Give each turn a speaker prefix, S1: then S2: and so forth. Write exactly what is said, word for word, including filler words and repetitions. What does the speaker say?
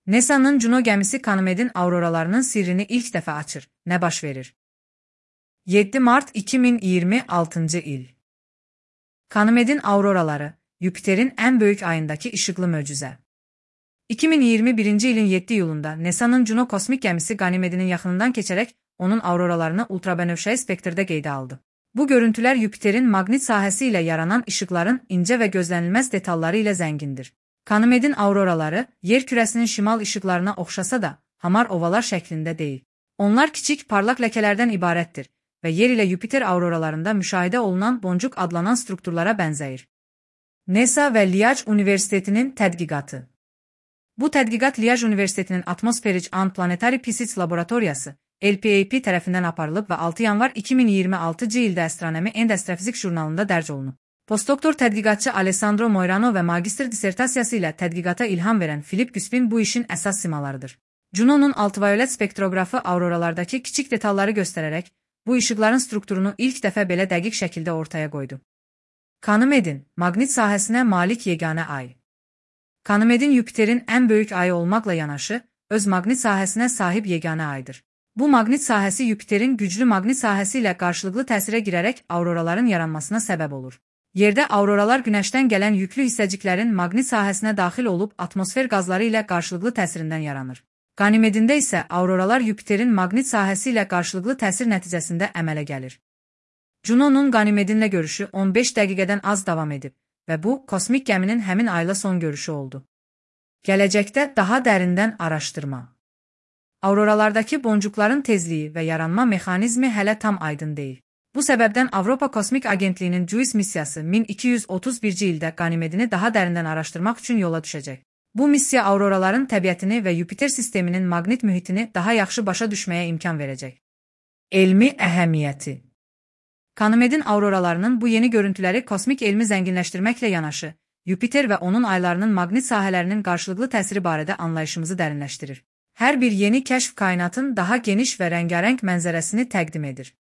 S1: NASA'nın Juno gəmisi Ganymed'in auroralarının sirrini ilk dəfə açır. Nə baş verir? yeddi mart iki min iyirmi altıncı il. Ganymed'in auroraları, Yupiterin ən böyük ayındakı işıqlı möcüzə. iki min iyirmi birinci ilin yeddi iyulunda NASA'nın Juno kosmik gəmisi Ganymed'in yaxınından keçərək onun auroralarını ultrabənövşəyi spektrdə qeydə aldı. Bu görüntülər Yupiterin maqnit sahəsi ilə yaranan işıqların incə və gözlənilməz detalları ilə zəngindir. Ganymed'in auroraları, yer kürəsinin şimal işıqlarına oxşasa da, hamar ovalar şəklində deyil. Onlar kiçik, parlaq ləkələrdən ibarətdir və yer ilə Yupiter auroralarında müşahidə olunan boncuk adlanan strukturlara bənzəyir. NASA və Liège Universitetinin tədqiqatı. Bu tədqiqat Liège Universitetinin Atmospheric and Planetary Physics Laboratoriyası, L P A P tərəfindən aparılıb və altı yanvar iki min iyirmi altıncı ildə Astronomy and Astrophysics jurnalında dərc olunub. Postdoktor tədqiqatçı Alessandro Moirano və magistr dissertasiyası ilə tədqiqata ilham verən Philip Güspin bu işin əsas simalarıdır. Juno'nun ultraviolet spektroqrafı auroralardakı kiçik detalları göstərərək, bu işıqların strukturunu ilk dəfə belə dəqiq şəkildə ortaya qoydu. Ganymed'in maqnit sahəsinə malik yeganə ay. Ganymed'in Yupiterin ən böyük ayı olmaqla yanaşı, öz maqnit sahəsinə sahib yeganə aydır. Bu maqnit sahəsi Yupiterin güclü maqnit sahəsi ilə qarşılıqlı təsirə girərək auroraların yaranmasına səbəb olur. Yerdə auroralar günəşdən gələn yüklü hissəciklərin maqnit sahəsinə daxil olub atmosfer qazları ilə qarşılıqlı təsirindən yaranır. Ganymed'ində isə auroralar Yupiterin maqnit sahəsi ilə qarşılıqlı təsir nəticəsində əmələ gəlir. Juno'nun Ganymed'inlə görüşü on beş dəqiqədən az davam edib və bu, kosmik gəminin həmin ayla son görüşü oldu. Gələcəkdə daha dərindən araşdırma. Auroralardakı boncukların tezliyi və yaranma mexanizmi hələ tam aydın deyil. Bu səbəbdən Avropa Kosmik Agentliyinin JUICE missiyası min iki yüz otuz birinci ildə Ganymed'ini daha dərindən araşdırmaq üçün yola düşəcək. Bu missiya auroraların təbiətini və Yupiter sisteminin maqnit mühitini daha yaxşı başa düşməyə imkan verəcək. Elmi əhəmiyyəti. Ganymed'in auroralarının bu yeni görüntüləri kosmik elmi zənginləşdirməklə yanaşı, Yupiter və onun aylarının maqnit sahələrinin qarşılıqlı təsiri barədə anlayışımızı dərinləşdirir. Hər bir yeni kəşf kainatın daha geniş və rəngarəng mənzərəsini təqdim edir.